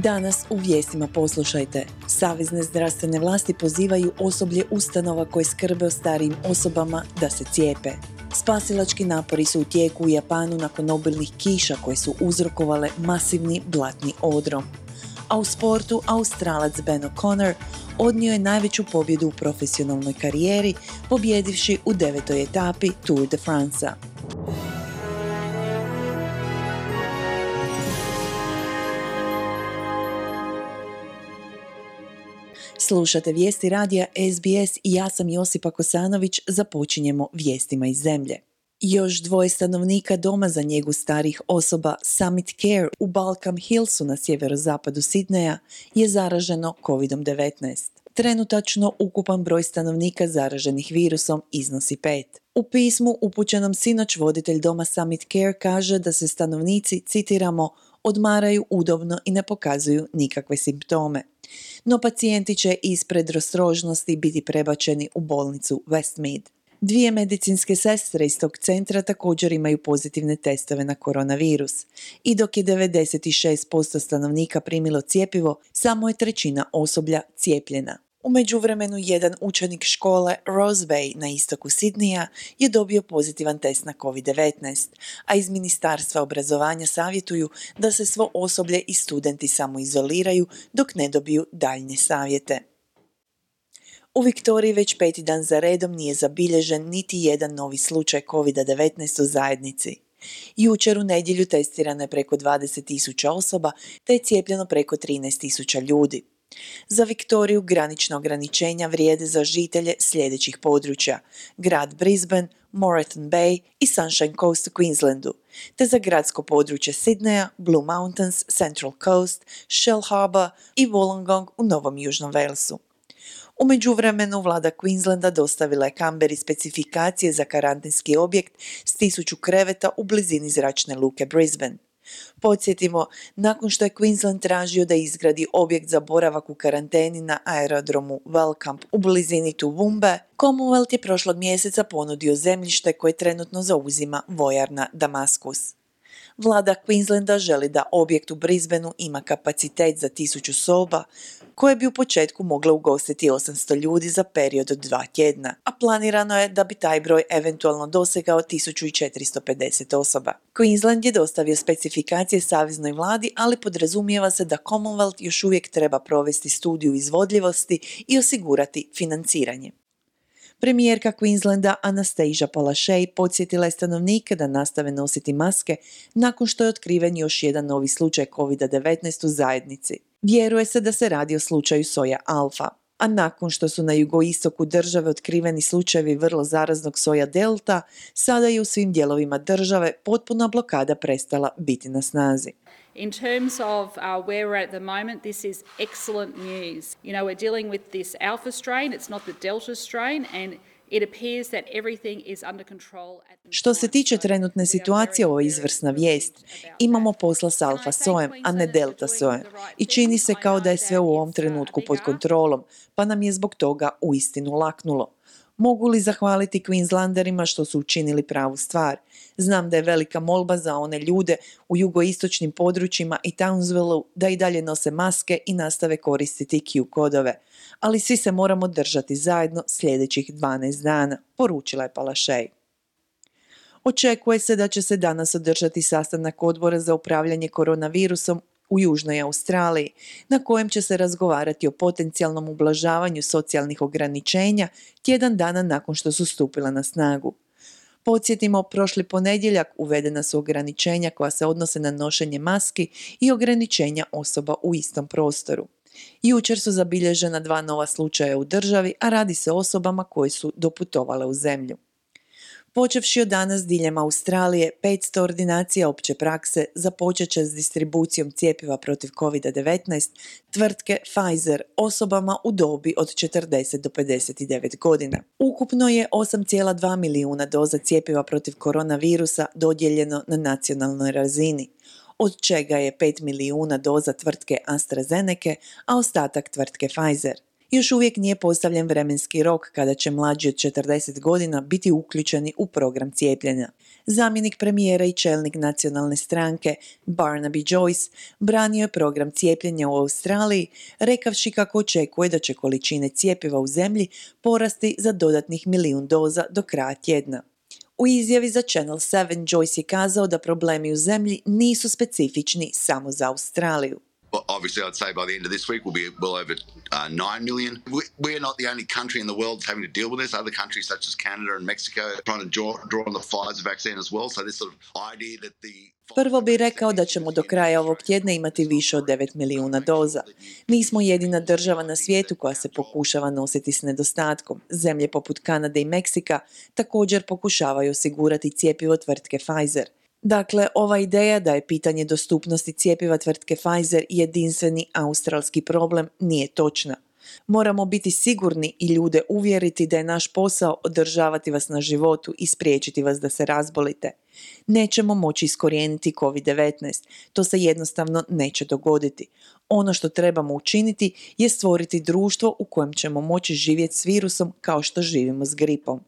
Danas u vijestima poslušajte. Savezne zdravstvene vlasti pozivaju osoblje ustanova koje skrbe o starijim osobama da se cijepe. Spasilački napori su u tijeku u Japanu nakon obilnih kiša koje su uzrokovale masivni blatni odrom. A u sportu Australac Ben O'Connor odnio je najveću pobjedu u profesionalnoj karijeri, pobjedivši u 9. etapi Tour de France-a. Slušate vijesti radija SBS i ja sam Josipa Kosanović, započinjemo vijestima iz zemlje. Još 2 stanovnika doma za njegu starih osoba Summit Care u Balcombe Hillsu na sjeverozapadu Sidneja je zaraženo COVID-19. Trenutačno ukupan broj stanovnika zaraženih virusom iznosi 5. U pismu upućenom sinoć voditelj doma Summit Care kaže da se stanovnici, citiramo, odmaraju udobno i ne pokazuju nikakve simptome. No pacijenti će iz predostrožnosti biti prebačeni u bolnicu Westmead. 2 medicinske sestre iz tog centra također imaju pozitivne testove na koronavirus. I dok je 96% stanovnika primilo cjepivo, samo je 1/3 osoblja cijepljena. U međuvremenu jedan učenik škole Rose Bay na istoku Sidneja je dobio pozitivan test na COVID-19, a iz Ministarstva obrazovanja savjetuju da se svo osoblje i studenti samoizoliraju dok ne dobiju daljnje savjete. U Viktoriji već 5. dan za redom nije zabilježen niti jedan novi slučaj COVID-19 u zajednici. Jučer u nedjelju testirano je preko 20.000 osoba te je cijepljeno preko 13.000 ljudi. Za Viktoriju granična ograničenja vrijede za žitelje sljedećih područja: grad Brisbane, Moreton Bay i Sunshine Coast u Queenslandu, te za gradsko područje Sidneya, Blue Mountains, Central Coast, Shell Harbour i Wollongong u Novom Južnom Walesu. U međuvremenu vlada Queenslanda dostavila je Canberri specifikacije za karantenski objekt s 1000 kreveta u blizini zračne luke Brisbane. Podsjetimo, nakon što je Queensland tražio da izgradi objekt za boravak u karanteni na aerodromu Wellcamp u blizini Toowoomba, Commonwealth je prošlog mjeseca ponudio zemljište koje trenutno zauzima vojarna Damaskus. Vlada Queenslanda želi da objekt u Brisbaneu ima kapacitet za 1000 soba, koje bi u početku mogle ugostiti 800 ljudi za period od 2 tjedna, a planirano je da bi taj broj eventualno dosegao 1450 osoba. Queensland je dostavio specifikacije saveznoj vladi, ali podrazumijeva se da Commonwealth još uvijek treba provesti studiju izvodljivosti i osigurati financiranje. Premijerka Queenslanda Anastasia Palaszczuk podsjetila je stanovnike da nastave nositi maske nakon što je otkriven još jedan novi slučaj COVID-19 u zajednici. Vjeruje se da se radi o slučaju soja alfa, a nakon što su na jugoistoku države otkriveni slučajevi vrlo zaraznog soja delta, sada je u svim dijelovima države potpuna blokada prestala biti na snazi. In terms of where we're at the moment, this is excellent news. We're dealing with this alpha strain, it's not the delta strain, and it appears that everything is under control. Što se tiče trenutne situacije, ovo je izvrsna vijest. Imamo posla s alfa sojem, a ne delta sojem. I čini se kao da je sve u ovom trenutku pod kontrolom, pa nam je zbog toga uistinu laknulo. Mogu li zahvaliti Queenslanderima što su učinili pravu stvar? Znam da je velika molba za one ljude u jugoistočnim područjima i Townsvilleu da i dalje nose maske i nastave koristiti Q kodove. Ali svi se moramo držati zajedno sljedećih 12 dana, poručila je Palaszczuk. Očekuje se da će se danas održati sastanak odbora za upravljanje koronavirusom u Južnoj Australiji, na kojem će se razgovarati o potencijalnom ublažavanju socijalnih ograničenja tjedan dana nakon što su stupila na snagu. Podsjetimo, prošli ponedjeljak uvedena su ograničenja koja se odnose na nošenje maski i ograničenja osoba u istom prostoru. Jučer su zabilježena 2 nova slučaja u državi, a radi se o osobama koje su doputovale u zemlju. Počevši od danas diljem Australije, 500 ordinacija opće prakse započet će s distribucijom cjepiva protiv COVID-19 tvrtke Pfizer osobama u dobi od 40 do 59 godina. Ukupno je 8,2 milijuna doza cjepiva protiv koronavirusa dodijeljeno na nacionalnoj razini, od čega je 5 milijuna doza tvrtke AstraZeneca, a ostatak tvrtke Pfizer. Još uvijek nije postavljen vremenski rok kada će mlađi od 40 godina biti uključeni u program cijepljenja. Zamjenik premijera i čelnik nacionalne stranke Barnaby Joyce branio je program cijepljenja u Australiji, rekavši kako očekuje da će količine cjepiva u zemlji porasti za dodatnih 1 milijun doza do kraja tjedna. U izjavi za Channel 7 Joyce je kazao da problemi u zemlji nisu specifični samo za Australiju. Obviously, I'd say by the end of this week we'll be well over 9 million. We're not the only country in the world that's having to deal with this. Other countries such as Canada and Mexico are trying to draw on the Pfizer vaccine as well. So this sort of idea that the Prvo bih rekao da ćemo do kraja ovog tjedna imati više od 9 milijuna doza. Mi smo jedina država na svijetu koja se pokušava nositi s nedostatkom. Zemlje poput Kanade i Meksika također pokušavaju osigurati cjepivo tvrtke Pfizer. Dakle, ova ideja da je pitanje dostupnosti cjepiva tvrtke Pfizer jedinstveni australski problem nije točna. Moramo biti sigurni i ljude uvjeriti da je naš posao održavati vas na životu i spriječiti vas da se razbolite. Nećemo moći iskorijeniti COVID-19, to se jednostavno neće dogoditi. Ono što trebamo učiniti je stvoriti društvo u kojem ćemo moći živjeti s virusom kao što živimo s gripom,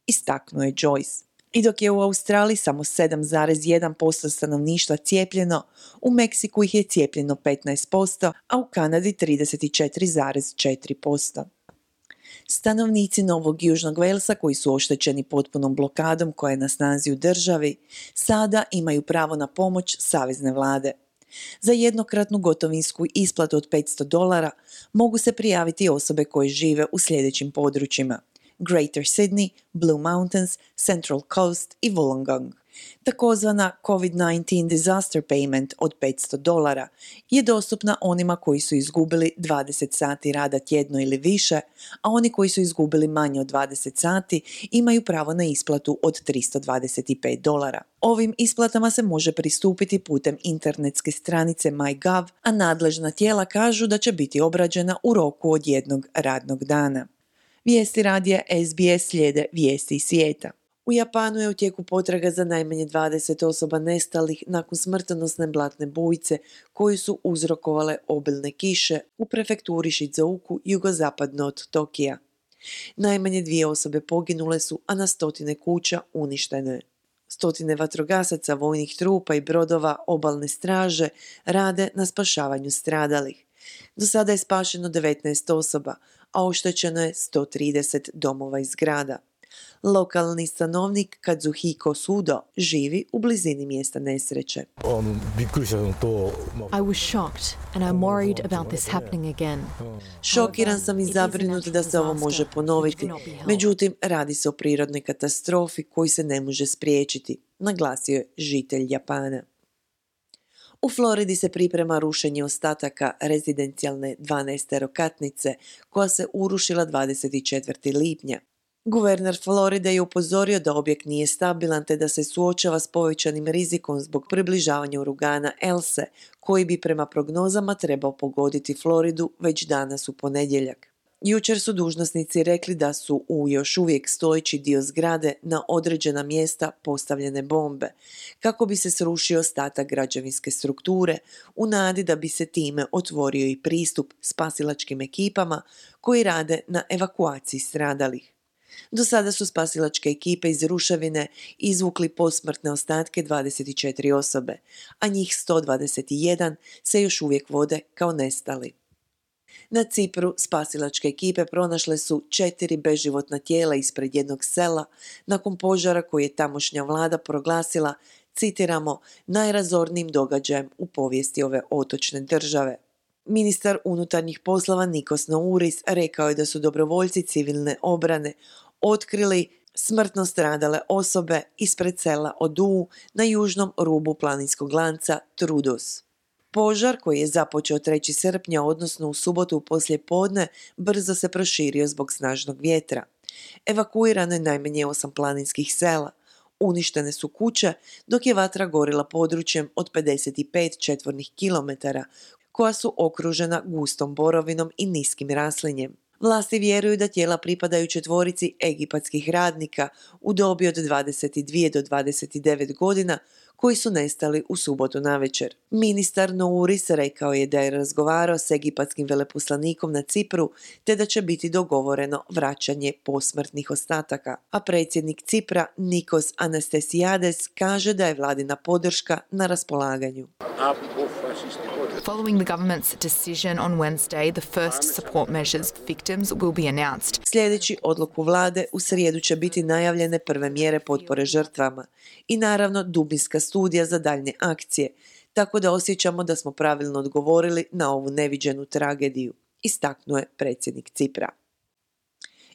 istaknuo je Joyce. I dok je u Australiji samo 7,1% stanovništva cijepljeno, u Meksiku ih je cijepljeno 15%, a u Kanadi 34,4%. Stanovnici Novog Južnog Walesa koji su oštećeni potpunom blokadom koja je na snazi u državi, sada imaju pravo na pomoć savezne vlade. Za jednokratnu gotovinsku isplatu od $500 mogu se prijaviti osobe koje žive u sljedećim područjima: Greater Sydney, Blue Mountains, Central Coast i Wollongong. Takozvana COVID-19 Disaster Payment od $500 je dostupna onima koji su izgubili 20 sati rada tjedno ili više, a oni koji su izgubili manje od 20 sati imaju pravo na isplatu od $325. Ovim isplatama se može pristupiti putem internetske stranice MyGov, a nadležna tijela kažu da će biti obrađena u roku od 1 radnog dana. Vijesti radija SBS slijede vijesti iz svijeta. U Japanu je u tijeku potraga za najmanje 20 osoba nestalih nakon smrtonosne blatne bujice koje su uzrokovale obilne kiše u prefekturi Shizuoku jugozapadno od Tokija. Najmanje 2 osobe poginule su, a na stotine kuća uništeno je. Stotine vatrogasaca, vojnih trupa i brodova obalne straže rade na spašavanju stradalih. Do sada je spašeno 19 osoba, a oštećeno je 130 domova i zgrada. Lokalni stanovnik Kazuhiko Sudo živi u blizini mjesta nesreće. I was shocked and I'm worried about this happening again. Šokiran sam i zabrinut da se ovo može ponoviti, međutim radi se o prirodnoj katastrofi koju se ne može spriječiti, naglasio je žitelj Japana. U Floridi se priprema rušenje ostataka rezidencijalne 12-katnice koja se urušila 24. lipnja. Guverner Floride je upozorio da objekt nije stabilan te da se suočava s povećanim rizikom zbog približavanja uragana Else, koji bi prema prognozama trebao pogoditi Floridu već danas u ponedjeljak. Jučer su dužnosnici rekli da su u još uvijek stojeći dio zgrade na određena mjesta postavljene bombe, kako bi se srušio ostatak građevinske strukture, u nadi da bi se time otvorio i pristup spasilačkim ekipama koji rade na evakuaciji stradalih. Do sada su spasilačke ekipe iz ruševine izvukli posmrtne ostatke 24 osobe, a njih 121 se još uvijek vode kao nestali. Na Cipru spasilačke ekipe pronašle su 4 beživotna tijela ispred jednog sela nakon požara koji je tamošnja vlada proglasila, citiramo, najrazornijim događajem u povijesti ove otočne države. Ministar unutarnjih poslova Nikos Nouris rekao je da su dobrovoljci civilne obrane otkrili smrtno stradale osobe ispred sela Oduu na južnom rubu planinskog lanca Troodos. Požar koji je započeo 3. srpnja, odnosno u subotu poslijepodne, brzo se proširio zbog snažnog vjetra. Evakuirano je najmanje 8 planinskih sela. Uništene su kuće, dok je vatra gorila područjem od 55 četvornih kilometara, koja su okružena gustom borovinom i niskim raslinjem. Vlasti vjeruju da tijela pripadaju 4 egipatskih radnika u dobi od 22 do 29 godina koji su nestali u subotu navečer. Ministar Nouris rekao je da je razgovarao s egipatskim veleposlanikom na Cipru te da će biti dogovoreno vraćanje posmrtnih ostataka, a predsjednik Cipra Nikos Anastasiades kaže da je vladina podrška na raspolaganju. Following the government's decision on Wednesday, the first support measures for victims will be announced. Sljedeći odluku vlade, u srijedu će biti najavljene prve mjere potpore žrtvama i naravno dubinska studija za daljnje akcije, tako da osjećamo da smo pravilno odgovorili na ovu neviđenu tragediju, istaknuo je predsjednik Cipra.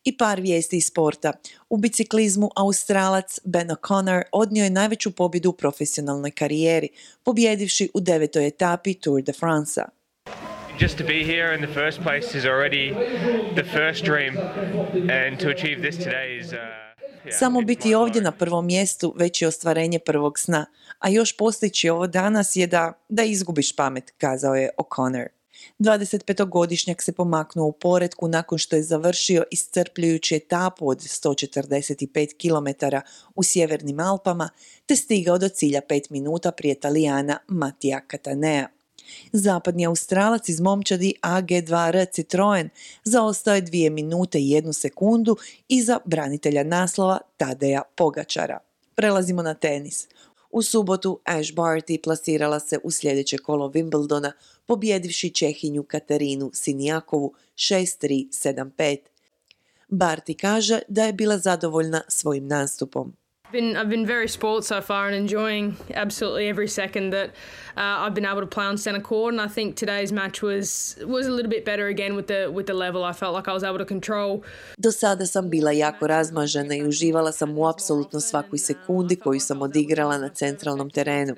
I par vijesti iz sporta. U biciklizmu Australac Ben O'Connor odnio je najveću pobjedu u profesionalnoj karijeri, pobjedivši u 9. etapi Tour de France-a. Just to be here in the first place is already the first dream, and to achieve this today is Samo biti ovdje na prvom mjestu već je ostvarenje prvog sna, a još postići ovo danas je da izgubiš pamet, kazao je O'Connor. 25-godišnjak se pomaknuo u poretku nakon što je završio iscrpljujuću etapu od 145 km u sjevernim Alpama te stigao do cilja 5 minuta prije Talijana Matija Catanea. Zapadni Australac iz momčadi AG2R Citroen zaostao je 2 minute i 1 sekundu iza branitelja naslova Tadeja Pogačara. Prelazimo na tenis. U subotu Ash Barty plasirala se u sljedeće kolo Wimbledona, pobjedivši Čehinju Katarinu Sinijakovu 6-3, 7-5. Barty kaže da je bila zadovoljna svojim nastupom. I've been very spoiled so far and enjoying absolutely every second that I've been able to play on centre court, and I think today's match was a little bit better again with the level. I felt like I was able to control. Do sada sam bila jako razmažena i uživala sam u apsolutno svakoj sekundi koju sam odigrala na centralnom terenu.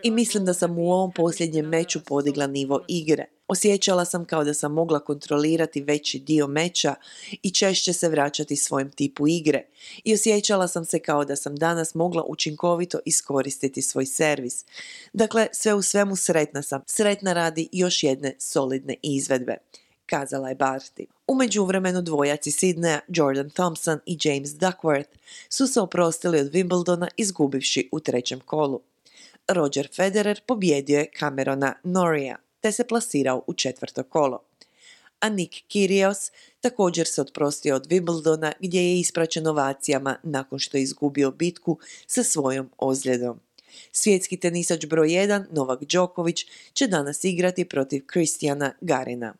I mislim da sam u ovom posljednjem meču podigla nivo igre. Osjećala sam kao da sam mogla kontrolirati veći dio meča i češće se vraćati svojem tipu igre. I osjećala sam se kao da sam danas mogla učinkovito iskoristiti svoj servis. Dakle, sve u svemu sretna sam. Sretna radi još jedne solidne izvedbe, kazala je Barty. U međuvremenu dvojaci Sidneja, Jordan Thompson i James Duckworth, su se oprostili od Wimbledona izgubivši u 3. kolu. Roger Federer pobjedio je Camerona Norrieja te se plasirao u 4. kolo. A Nick Kyrgios također se oprostio od Wimbledona gdje je ispraćen ovacijama nakon što je izgubio bitku sa svojom ozljedom. Svjetski tenisač broj 1 Novak Đoković će danas igrati protiv Kristijana Garina.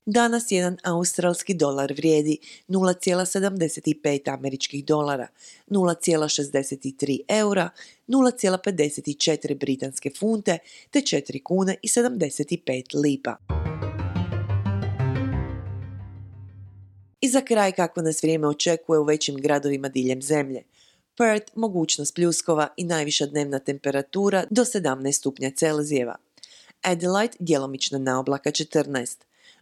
Danas jedan australski dolar vrijedi 0,75 američkih dolara, 0,63 eura, 0,54 britanske funte te 4 kune i 75 lipa. I za kraj kako nas vrijeme očekuje u većim gradovima diljem zemlje. Perth mogućnost pljuskova i najviša dnevna temperatura do 17 stupnja Celzijeva. Adelaide djelomična naoblaka 14.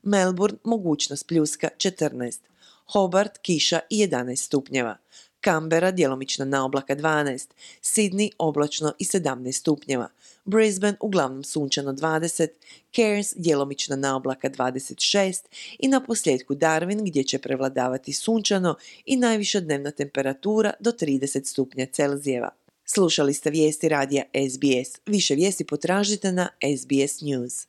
Melbourne mogućnost pljuska 14, Hobart kiša i 11 stupnjeva, Canberra djelomična naoblaka 12, Sydney oblačno i 17 stupnjeva, Brisbane uglavnom sunčano 20, Cairns djelomična naoblaka 26 i na posljedku Darwin gdje će prevladavati sunčano i najviša dnevna temperatura do 30 stupnja Celzijeva. Slušali ste vijesti radija SBS. Više vijesti potražite na SBS News.